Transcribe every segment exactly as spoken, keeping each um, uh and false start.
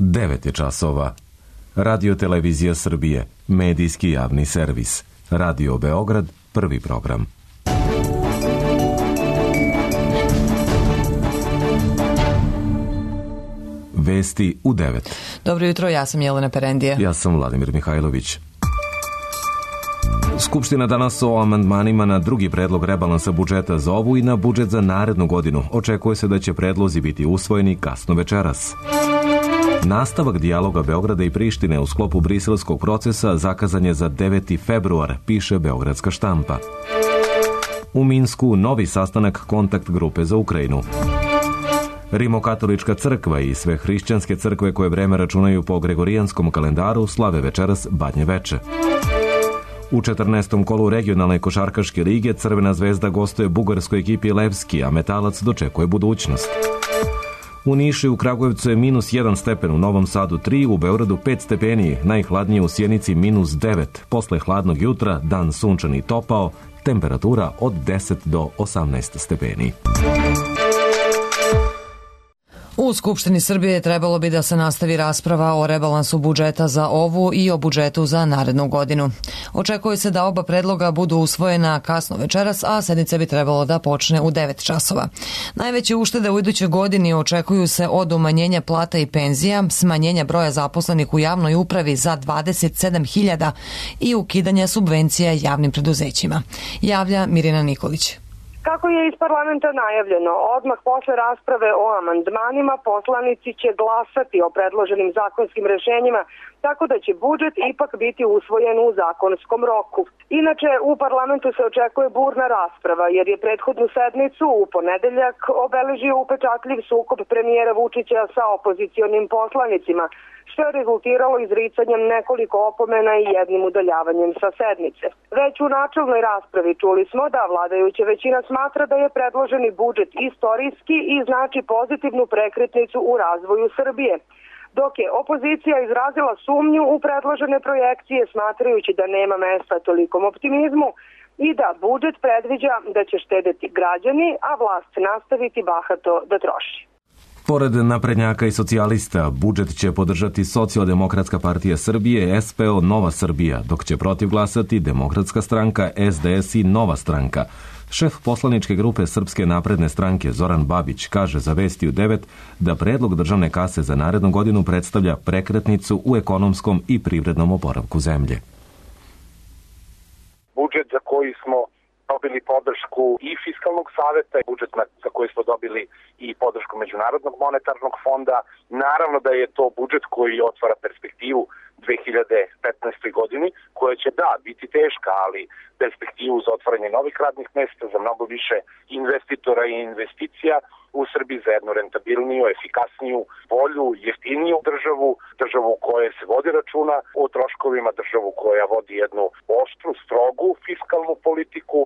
devet je časova. Radio Televizija Srbije, medijski javni servis. Radio Beograd, prvi program. Vesti u devet. Dobro jutro, ja sam Jelena Perendije. Ja sam Vladimir Mihajlović. Skupština danas o amandmanima na drugi predlog rebalansa budžeta za ovu i na budžet za narednu godinu. Očekuje se da će predlozi biti usvojeni kasno večeras. Nastavak dijaloga Beograda i Prištine u sklopu briselskog procesa zakazan je za deveti februar, piše Beogradska štampa. U Minsku novi sastanak kontakt grupe za Ukrajinu. Rimokatolička crkva i sve hrišćanske crkve koje vreme računaju po gregorijanskom kalendaru slave večeras Badnje veče. U četrnaestom kolu regionalne košarkaške lige Crvena zvezda gostuje bugarskoj ekipi Levski, a Metalac dočekuje budućnost. U Nišu i u Kragujevcu je minus jedan stepen, u Novom Sadu tri, u Beogradu pet stepeni, najhladnije u Sjenici minus devet. Posle hladnog jutra, dan sunčan i topao, temperatura od deset do osamnaest stepeni. U Skupštini Srbije trebalo bi da se nastavi rasprava o rebalansu budžeta za ovu i o budžetu za narednu godinu. Očekuje se da oba predloga budu usvojena kasno večeras, a sednica bi trebalo da počne u devet časova. Najveće uštede u idućoj godini očekuju se od umanjenja plata i penzija, smanjenja broja zaposlenih u javnoj upravi za dvadeset sedam hiljada i ukidanja subvencija javnim preduzećima. Javlja Mirjana Nikolić. Kako je iz parlamenta najavljeno, odmah posle rasprave o amandmanima poslanici će glasati o predloženim zakonskim rešenjima, tako da će budžet ipak biti usvojen u zakonskom roku. Inače, u parlamentu se očekuje burna rasprava, jer je prethodnu sednicu u ponedeljak obeležio upečatljiv sukob premijera Vučića sa opozicionim poslanicima, što je rezultiralo izricanjem nekoliko opomena i jednim udaljavanjem sa sednice. Već u načelnoj raspravi čuli smo da vladajuća većina smatra da je predloženi budžet istorijski i znači pozitivnu prekretnicu u razvoju Srbije, dok je opozicija izrazila sumnju u predložene projekcije smatrajući da nema mesta tolikom optimizmu i da budžet predviđa da će štedeti građani, a vlast nastaviti bahato da troši. Pored naprednjaka i socijalista, budžet će podržati Socijaldemokratska partija Srbije, S P O Nova Srbija, dok će protiv glasati Demokratska stranka, S D S i Nova stranka. Šef poslaničke grupe Srpske napredne stranke Zoran Babić kaže za Vesti u devet da predlog državne kase za narednu godinu predstavlja prekretnicu u ekonomskom i privrednom oporavku zemlje. Budžet za koji smo dobili podršku i Fiskalnog saveta, budžet za koji smo dobili i podršku Međunarodnog monetarnog fonda. Naravno da je to budžet koji otvara perspektivu dve hiljade petnaestoj godini, koja će da biti teška, ali perspektivu za otvaranje novih radnih mesta, za mnogo više investitora i investicija u Srbiji, za jednu rentabilniju, efikasniju, bolju, jeftiniju državu, državu u kojoj se vodi računa o troškovima, državu koja vodi jednu oštru, strogu fiskalnu politiku.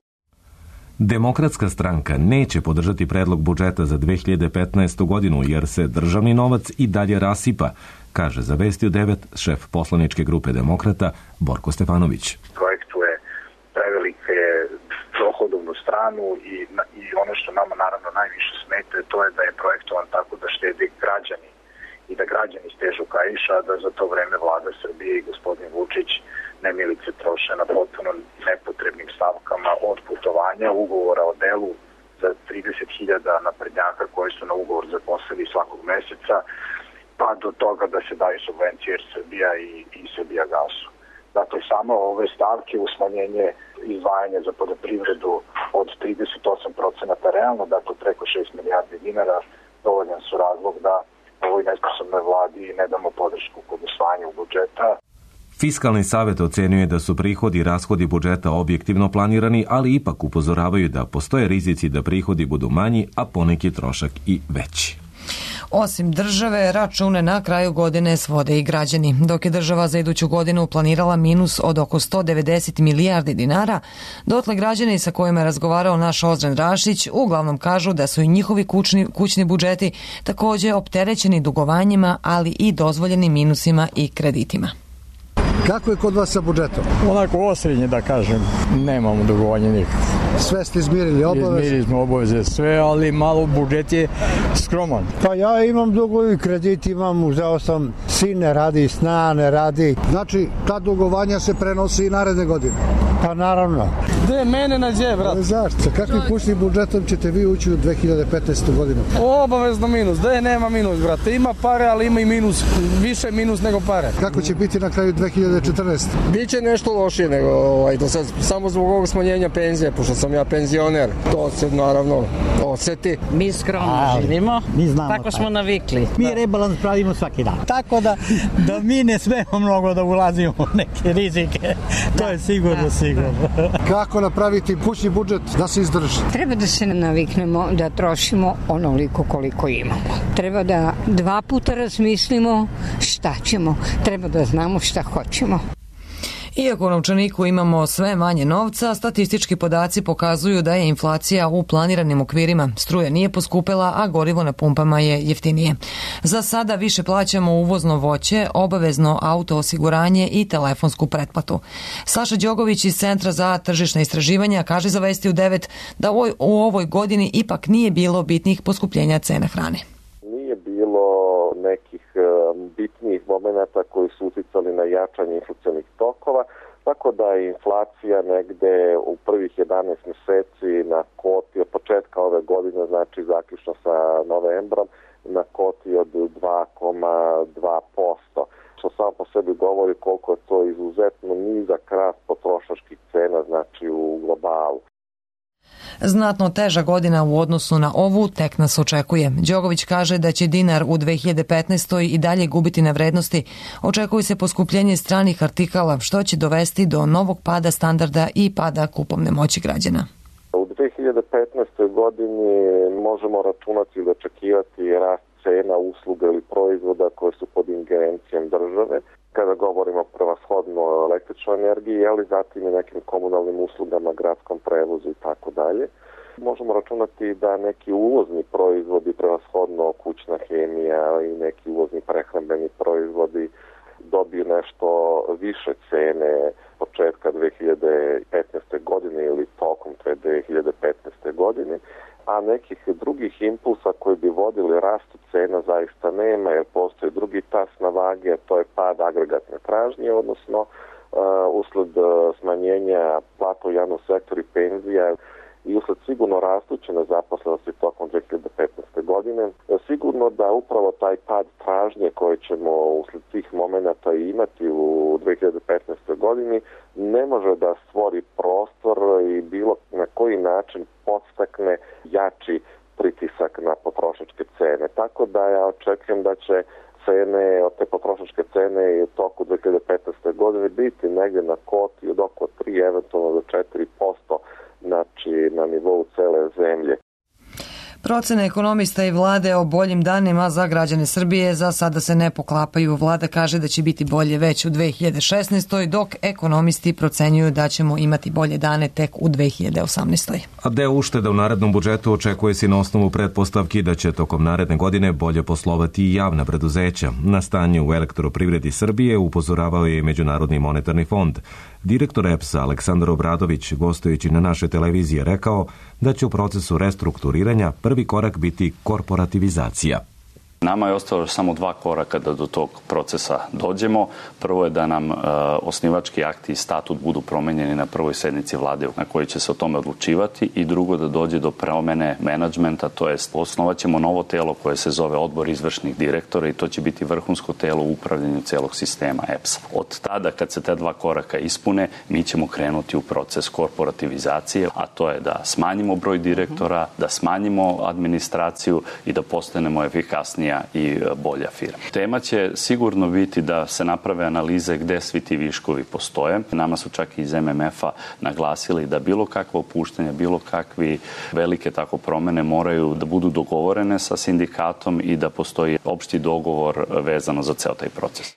Demokratska stranka neće podržati predlog budžeta za dve hiljade petnaestu godinu jer se državni novac i dalje rasipa, kaže za Vesti u devet šef poslaničke grupe Demokrata Borko Stefanović. Projektuje prevelike dohodovnu stranu i, i ono što nama naravno najviše smeta to je da je projektovan tako da štede građani i da građani stežu kaiša, da za to vreme vlada Srbije i gospodin Vučić nemilice troše na potpuno nepotrebnim stavkama od putovanja, ugovora o delu za trideset hiljada naprednjaka koji su na ugovor zaposleni svakog meseca, pa do toga da se daju subvencije jer Srbija i, i Srbija gasu. Dakle, samo ove stavke u smanjenje izdvajanja za poljoprivredu od trideset osam procenata realno, dakle preko šest milijardi dinara, dovoljan su razlog da ovoj nesposobnoj vladi ne damo podršku kod usvajanja budžeta. Fiskalni savet ocenjuje da su prihodi i rashodi budžeta objektivno planirani, ali ipak upozoravaju da postoje rizici da prihodi budu manji, a poneki trošak i veći. Osim države, račune na kraju godine svode i građani. Dok je država za iduću godinu planirala minus od oko sto devedeset milijardi dinara, dotle građani sa kojima je razgovarao naš Ozren Rašić uglavnom kažu da su i njihovi kućni, kućni budžeti također opterećeni dugovanjima, ali i dozvoljenim minusima i kreditima. Kako je kod vas sa budžetom? Onako osrednje, da kažem, nemamo dugovanja nikakve. Sve ste izmirili obaveze? Izmirili smo obaveze sve, ali malo budžet je skroman. Pa ja imam dugovi, kredit imam, uzeo sam, sin ne radi, sna ne radi. Znači, ta dugovanja se prenosi i naredne godine? Pa naravno. Gde mene nađe, brat? Zašto? Sa kakvim kućnim budžetom ćete vi ući u dve hiljade petnaestu godinu? Obavezno minus. Gde nema minus, brate? Ima pare, ali ima i minus. Više minus nego pare. Kako će biti na kraju dve hiljade četrnaeste? Biće nešto lošije nego ovaj, do sad, samo zbog ovog smanjenja penzije, pošto sam ja penzioner. To se naravno oseti. Mi skromno živimo, mi znamo tako smo navikli. Mi da. Rebalans pravimo svaki dan. Tako da, da mi ne smemo mnogo da ulazimo u neke rizike. To da, je sigurno, da, sigurno. Da. Kako napraviti kućni budžet da se izdrži? Treba da se naviknemo da trošimo onoliko koliko imamo. Treba da dva puta razmislimo šta ćemo. Treba da znamo šta hoćemo. Iako u novčaniku imamo sve manje novca, statistički podaci pokazuju da je inflacija u planiranim okvirima. Struja nije poskupela, a gorivo na pumpama je jeftinije. Za sada više plaćamo uvozno voće, obavezno auto osiguranje i telefonsku pretplatu. Saša Đogović iz Centra za tržišna istraživanja kaže za Vesti u devet da u ovoj godini ipak nije bilo bitnih poskupljenja cena hrane. Nije bilo nekih bitnijih momenata koji su uticali na jačanje inflacionih tokova, tako da je inflacija negde u prvih jedanaest meseci na koti od početka ove godine, znači zaključno sa novembrom, na koti od dva zarez dva posto, što samo po sebi govori koliko je to izuzetno nizak rast potrošačkih cena, znači u globalu. Znatno teža godina u odnosu na ovu tek nas očekuje. Đogović kaže da će dinar u dve hiljade petnaestoj i dalje gubiti na vrednosti. Očekuje se poskupljenje stranih artikala, što će dovesti do novog pada standarda i pada kupovne moći građana. U dve hiljade petnaestoj godini možemo računati ili očekivati rast cena usluga ili proizvoda koje su pod ingerencijom države. Kada govorimo prevashodno o električnoj energiji, ali zatim i nekim komunalnim uslugama, gradskom prevozu i tako dalje. Možemo računati da neki uvozni proizvodi, prevashodno kućna hemija i neki uvozni prehrambeni proizvodi dobiju nešto više cene početka dve hiljade petnaeste. godine ili tokom te dve hiljade petnaeste. godine, a nekih drugih impulsa koji bi vodili rastu cena zaista nema, jer postoji drugi tas na vage, a to je pad agregatne tražnje, odnosno uh, usled smanjenja plata u javnom sektoru i penzija i usled sigurno rastuće nezaposlenosti tokom dve hiljade petnaeste. godine. Sigurno da upravo taj pad tražnje koje ćemo usled tih momenata imati u dve hiljade petnaestoj. godini ne može da stvori prostor i bilo na koji način podstakne jači pritisak na potrošačke cene. Tako da ja očekujem da će cene, od te potrošačke cene i u toku dve hiljade petnaeste. godine biti negdje na koti od oko tri, eventualno do četiri posto, znači na nivou cele zemlje. Procene ekonomista i vlade o boljim danima za građane Srbije za sada se ne poklapaju. Vlada kaže da će biti bolje već u dve hiljade šesnaestoj. dok ekonomisti procenjuju da ćemo imati bolje dane tek u dve hiljade osamnaestoj. A deo ušteda u narednom budžetu očekuje se na osnovu pretpostavki da će tokom naredne godine bolje poslovati i javna preduzeća. Na stanje u elektroprivredi Srbije upozoravao je i Međunarodni monetarni fond. Direktor E P S-a Aleksandar Obradović, gostujući na našoj televiziji, rekao da će u procesu restrukturiranja prvi korak biti korporativizacija. Nama je ostalo samo dva koraka da do tog procesa dođemo. Prvo je da nam e, osnivački akti i statut budu promenjeni na prvoj sednici vlade na kojoj će se o tome odlučivati, i drugo da dođe do promene menadžmenta, to jest osnovat ćemo novo telo koje se zove Odbor izvršnih direktora i to će biti vrhunsko telo u upravljanju celog sistema E P S-a. Od tada kad se te dva koraka ispune, mi ćemo krenuti u proces korporativizacije, a to je da smanjimo broj direktora, da smanjimo administraciju i da postanemo efikasnija i bolja firma. Tema će sigurno biti da se naprave analize gde svi ti viškovi postoje. Nama su čak i iz M M F-a naglasili da bilo kakva opuštanja, bilo kakvi velike tako promene moraju da budu dogovorene sa sindikatom i da postoji opšti dogovor vezano za ceo taj proces.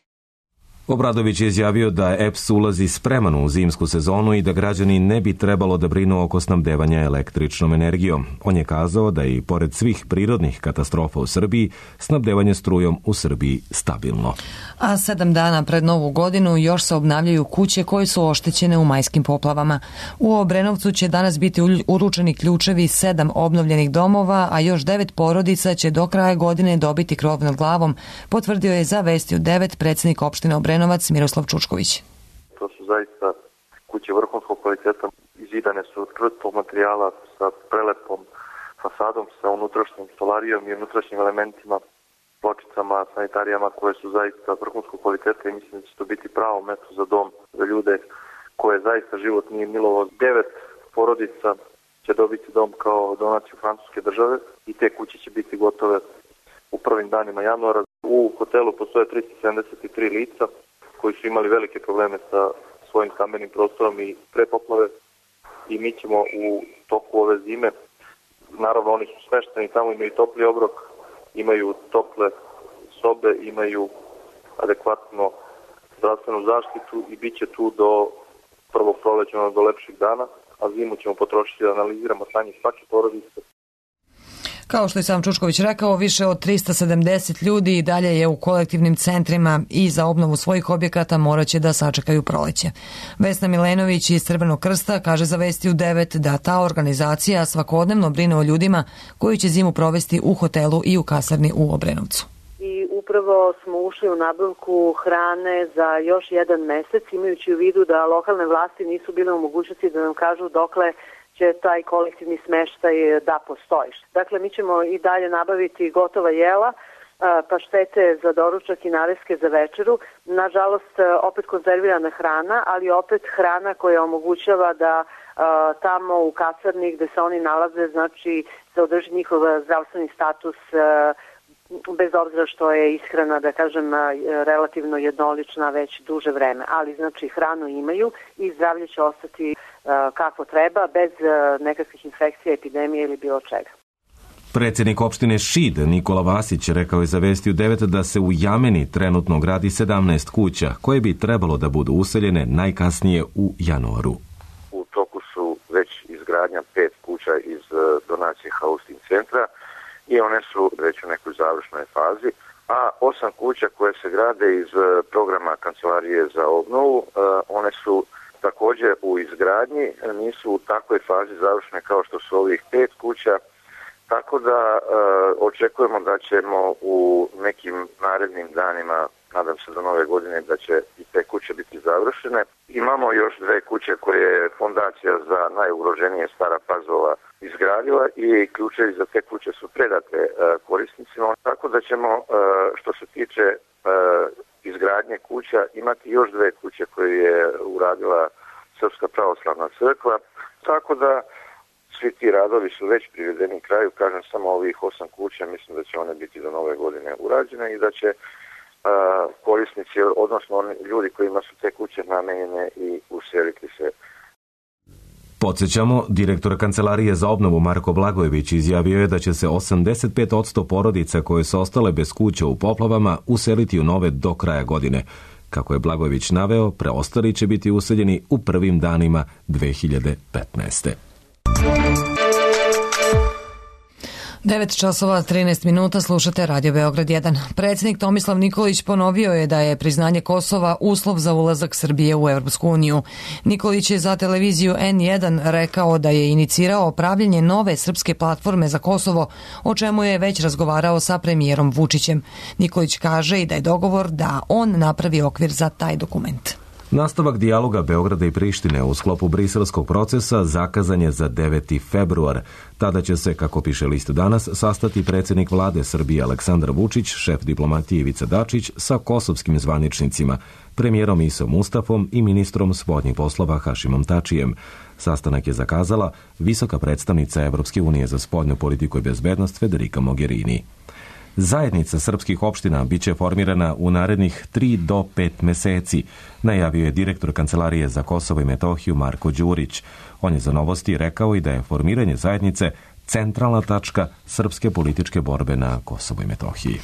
Obradović je izjavio da E P S ulazi spreman u zimsku sezonu i da građani ne bi trebalo da brinu oko snabdevanja električnom energijom. On je kazao da je i pored svih prirodnih katastrofa u Srbiji, snabdevanje strujom u Srbiji stabilno. A sedam dana pred Novu godinu još se obnavljaju kuće koje su oštećene u majskim poplavama. U Obrenovcu će danas biti uručeni ključevi sedam obnovljenih domova, a još devet porodica će do kraja godine dobiti krov nad glavom, potvrdio je za Vesti u devet predsjednik opštine Obrenovac Miroslav Čučković. To su zaista kuće vrhunskog kvaliteta, izidane su od krtog materijala sa prelepom fasadom, sa unutrašnjim stolarijom i unutrašnjim elementima, pločicama, sanitarijama koje su zaista vrhunskog kvaliteta i mislim da će to biti pravo mesto za dom za ljude koje zaista život nije milovo. Devet porodica će dobiti dom kao donaciju francuske države i te kuće će biti gotove u prvim danima januara. U hotelu postoje tristo sedamdeset tri lica koji su imali velike probleme sa svojim stambenim prostorom i pre poplave i mi ćemo u toku ove zime, naravno oni su smešteni tamo, imaju topli obrok, imaju tople sobe, imaju adekvatno zdravstvenu zaštitu i bit će tu do prvog proleća, do lepših dana, a zimu ćemo potrošiti da analiziramo stanje svake porodice. Kao što je sam Čučković rekao, više od trista sedamdeset ljudi i dalje je u kolektivnim centrima i za obnovu svojih objekata morat će da sačekaju proleće. Vesna Milenović iz Crvenog krsta kaže za Vesti u devet da ta organizacija svakodnevno brine o ljudima koji će zimu provesti u hotelu i u kasarni u Obrenovcu. I upravo smo ušli u nabavku hrane za još jedan mesec, imajući u vidu da lokalne vlasti nisu bile u mogućnosti da nam kažu dokle će taj kolektivni smeštaj da postoji. Dakle, mi ćemo i dalje nabaviti gotova jela, paštete za doručak i nareske za večeru. Nažalost, opet konzervirana hrana, ali opet hrana koja omogućava da tamo u kasarni gde se oni nalaze, znači se održi njihov zdravstveni status bez obzira što je ishrana, da kažem, relativno jednolična već duže vreme. Ali, znači, hranu imaju i zdravlje će ostati kako treba, bez nekakvih infekcija, epidemije ili bilo čega. Predsjednik opštine Šid Nikola Vasić rekao je za Vesti u devet da se u Jameni trenutno gradi sedamnaest kuća koje bi trebalo da budu useljene najkasnije u januaru. U toku su već izgradnja pet kuća iz donacije Hausting centra i one su već u nekoj završnoj fazi, a osam kuća koje se grade iz programa Kancelarije za obnovu, one su također u izgradnji, nisu u takvoj fazi završene kao što su ovih pet kuća, tako da e, očekujemo da ćemo u nekim narednim danima, nadam se do nove godine, da će i te kuće biti završene. Imamo još dve kuće koje je Fondacija za najugroženije Stara Pazova izgradila i ključevi za te kuće su predate e, korisnicima, tako da ćemo, e, što se tiče e, izgradnje kuća, imati još dve kuće koje je uradila Srpska pravoslavna crkva, tako da svi ti radovi su već privedeni kraju, kažem samo ovih osam kuća, mislim da će one biti do nove godine urađene i da će uh, korisnici, odnosno oni ljudi kojima su te kuće namenjene i useliti se. Podsjećamo, direktor Kancelarije za obnovu Marko Blagojević izjavio je da će se osamdeset pet posto porodica koje su ostale bez kuća u poplavama useliti u nove do kraja godine. Kako je Blagojević naveo, preostali će biti useljeni u prvim danima dve hiljade petnaeste. devet časova trinaest minuta, slušate Radio Beograd jedan. Predsjednik Tomislav Nikolić ponovio je da je priznanje Kosova uslov za ulazak Srbije u Evropsku uniju. Nikolić je za televiziju en jedan rekao da je inicirao pravljenje nove srpske platforme za Kosovo, o čemu je već razgovarao sa premijerom Vučićem. Nikolić kaže i da je dogovor da on napravi okvir za taj dokument. Nastavak dijaloga Beograda i Prištine u sklopu briselskog procesa zakazan je za deveti februar. Tada će se, kako piše list danas, sastati predsjednik vlade Srbije Aleksandar Vučić, šef diplomatije Ivica Dačić sa kosovskim zvaničnicima, premijerom Isom Mustafom i ministrom spoljnih poslova Hašimom Tačijem. Sastanak je zakazala visoka predstavnica Evropske unije za spoljnu politiku i bezbednost Federica Mogherini. Zajednica srpskih opština biće formirana u narednih tri do pet meseci, najavio je direktor Kancelarije za Kosovo i Metohiju Marko Đurić. On je za Novosti rekao i da je formiranje zajednice centralna tačka srpske političke borbe na Kosovu i Metohiji.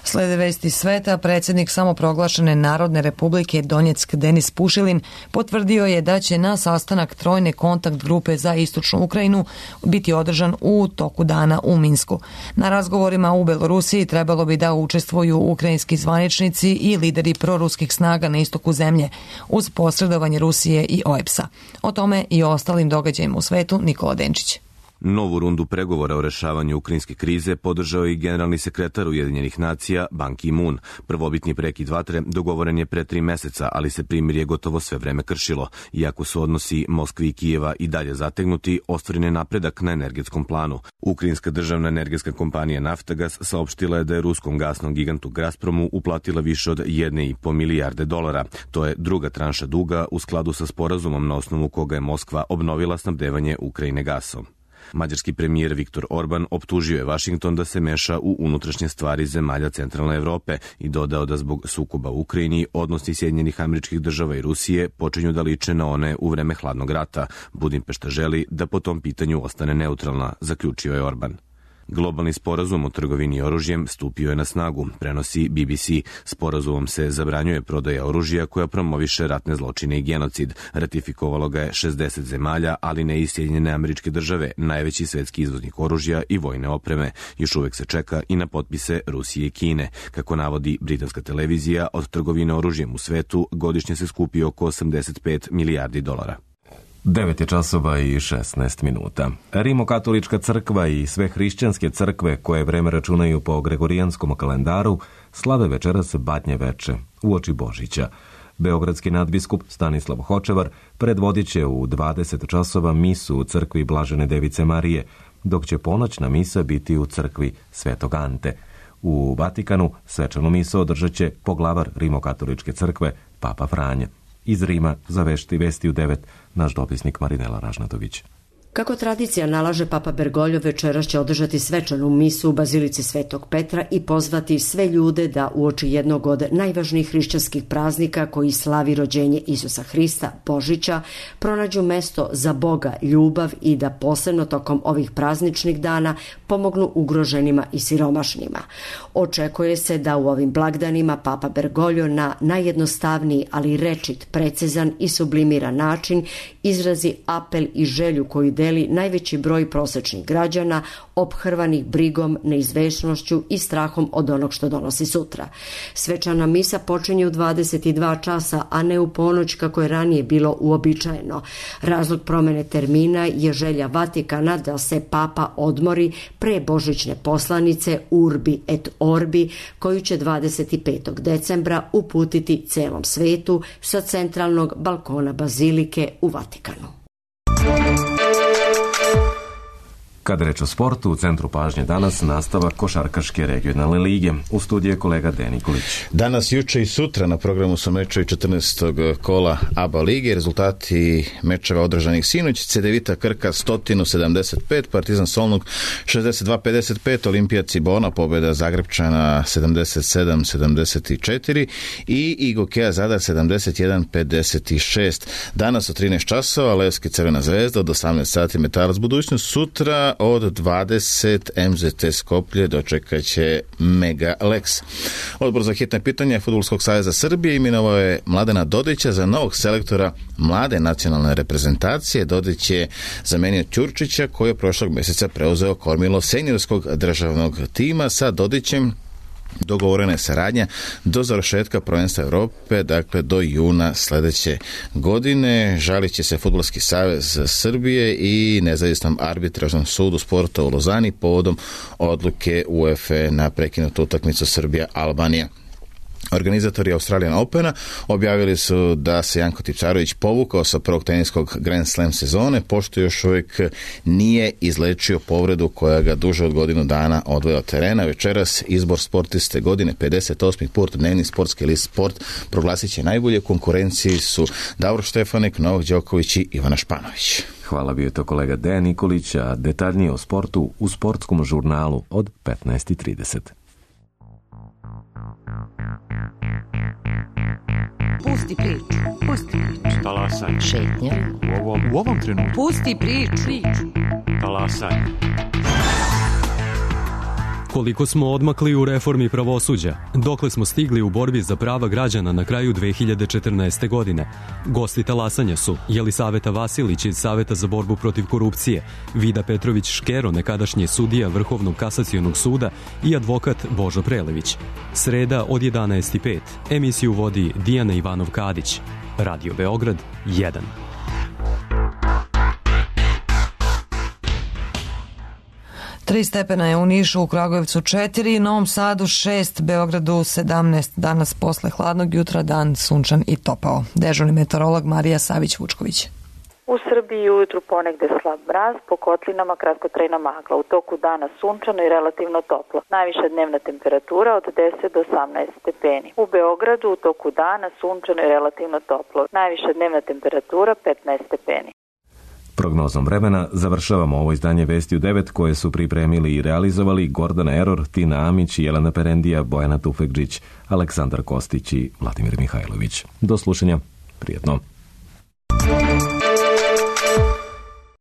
Slede vesti sveta, predsjednik samoproglašene Narodne republike Donjeck Denis Pušilin potvrdio je da će na sastanak trojne kontakt grupe za istočnu Ukrajinu biti održan u toku dana u Minsku. Na razgovorima u Belorusiji trebalo bi da učestvuju ukrajinski zvaničnici i lideri proruskih snaga na istoku zemlje uz posredovanje Rusije i O E B S-a. O tome i o ostalim događajima u svetu Nikola Denčić. Novu rundu pregovora o rešavanju ukrajinske krize podržao i generalni sekretar Ujedinjenih nacija Ban Ki-moon. Prvobitni prekid vatre dogovoren je pre tri meseca, ali se primirje gotovo sve vreme kršilo. Iako su odnosi Moskve i Kijeva i dalje zategnuti, ostvaren je napredak na energetskom planu. Ukrajinska državna energetska kompanija Naftagas saopštila je da je ruskom gasnom gigantu Gazpromu uplatila više od jedne i po milijarde dolara. To je druga tranša duga u skladu sa sporazumom na osnovu koga je Moskva obnovila snabdevanje Ukrajine gasom. Mađarski premijer Viktor Orban optužio je Vašington da se meša u unutrašnje stvari zemalja centralne Evrope i dodao da zbog sukoba u Ukrajini odnosi Sjedinjenih Američkih Država i Rusije počinju da liče na one u vreme hladnog rata. Budimpešta želi da po tom pitanju ostane neutralna, zaključio je Orban. Globalni sporazum o trgovini oružjem stupio je na snagu, prenosi B B C. Sporazumom se zabranjuje prodaja oružja koja promoviše ratne zločine i genocid. Ratifikovalo ga je šezdeset zemalja, ali ne i Sjedinjene Američke Države, najveći svetski izvoznik oružja i vojne opreme. Još uvek se čeka i na potpise Rusije i Kine. Kako navodi britanska televizija, od trgovine oružjem u svetu godišnje se skupi oko osamdeset pet milijardi dolara. devet je časova i šesnaest minuta. Rimokatolička crkva i sve hrišćanske crkve koje vreme računaju po gregorijanskom kalendaru slave večeras Badnje veče uoči Božića. Beogradski nadbiskup Stanislav Hočevar predvodit će u dvadeset časova misu u crkvi Blažene Device Marije, dok će ponoćna misa biti u crkvi Svetog Ante. U Vatikanu svečanu misu održat će poglavar Rimokatoličke crkve Papa Franje. Iz Rima za vešti vesti u devet naš dopisnik Marinela Ražnatović. Kako tradicija nalaže, Papa Bergoglio večeras će održati svečanu misu u Bazilici Svetog Petra i pozvati sve ljude da uoči jednog od najvažnijih hrišćanskih praznika koji slavi rođenje Isusa Hrista, Božića, pronađu mesto za Boga, ljubav i da posebno tokom ovih prazničnih dana pomognu ugroženima i siromašnima. Očekuje se da u ovim blagdanima Papa Bergoglio na najjednostavniji, ali rečit, precizan i sublimiran način izrazi apel i želju koju deli najveći broj prosečnih građana ophrvanih brigom, neizvesnošću i strahom od onog što donosi sutra. Svečana misa počinje u dvadeset dva časa, a ne u ponoć kako je ranije bilo uobičajeno. Razlog promene termina je želja Vatikana da se Papa odmori pre božićne poslanice Urbi et Orbi, koju će dvadeset petog decembra uputiti celom svetu sa centralnog balkona Bazilike u Vatikanu. Kada reč o sportu, u centru pažnje danas nastavak košarkaške regionalne lige. U studiju je kolega Dejan Nikolić. Danas, juče i sutra na programu su mečevi četrnaestog kola A B A lige. Rezultati mečeva održanih sinoć: Cedevita Krka sto sedamdeset pet, Partizan Solnuk šezdeset dva pedeset pet, Olimpija Cibona pobjeda Zagrebčana sedamdeset sedam sedamdeset četiri i Igokea Zadar sedamdeset jedan pedeset šest. Danas od trinaest časova Levski Crvena zvezda, od osamnaest sati Metalac Budućnost, sutra od dvadeset M Z T Skoplje dočekat će Mega Lex. Odbor za hitne pitanja Fudbalskog saveza Srbije imenovao je Mladena Dodića za novog selektora mlade nacionalne reprezentacije. Dodić je zamenio Ćurčića koji je prošlog mjeseca preuzeo kormilo seniorskog državnog tima. Sa Dodićem dogovorena je saradnja do završetka prvenstva Evrope, dakle do juna sljedeće godine. Žalit će se Fudbalski savez Srbije i nezavisnom arbitražnom sudu sporta u Lozani povodom odluke UEFA na prekinutu utakmicu Srbija-Albanija. Organizatori Australian Opena objavili su da se Janko Tipsarević povukao sa prvog teniskog Grand Slam sezone, pošto još uvijek nije izlečio povredu koja ga duže od godinu dana odvoja od terena. Večeras izbor sportiste godine, pedeset osmi put dnevni sportski list Sport proglasit će najbolje. Konkurenciji su Davor Štefanik, Novak Đoković i Ivana Španović. Hvala, bio je to kolega Dejan Nikolić, a detaljnije o sportu u sportskom žurnalu od petnaest i trideset. Pusti priču, pusti priču. Talasaj. Šetnja. U ovom, u ovom trenutku. Pusti priču. Talasaj. Koliko smo odmakli u reformi pravosuđa, dokle smo stigli u borbi za prava građana na kraju dve hiljade četrnaeste. godine. Gosti talasanja su Jelisaveta Vasilić iz Saveta za borbu protiv korupcije, Vida Petrović Škero, nekadašnji sudija Vrhovnog kasacionog suda i advokat Božo Prelević. Sreda od jedanaest i pet. Emisiju vodi Dijana Ivanov-Kadić. Radio Beograd jedan. Tri stepena je u Nišu, u Kragujevcu četiri, Novom Sadu šest, Beogradu sedamnaest. Danas posle hladnog jutra dan sunčan i topao. Dežurni meteorolog Marija Savić-Vučković. U Srbiji ujutru ponegde slab mraz, po kotlinama kratkotrajna magla. U toku dana sunčano i relativno toplo. Najviša dnevna temperatura od deset do osamnaest stepeni. U Beogradu u toku dana sunčano i relativno toplo. Najviša dnevna temperatura petnaest stepeni. Prognozom vremena završavamo ovo izdanje Vesti u devet koje su pripremili i realizovali Gordana Eror, Tina Amić, Jelena Perendija, Bojana Tufekđić, Aleksandar Kostić i Vladimir Mihajlović. Do slušanja. Prijetno.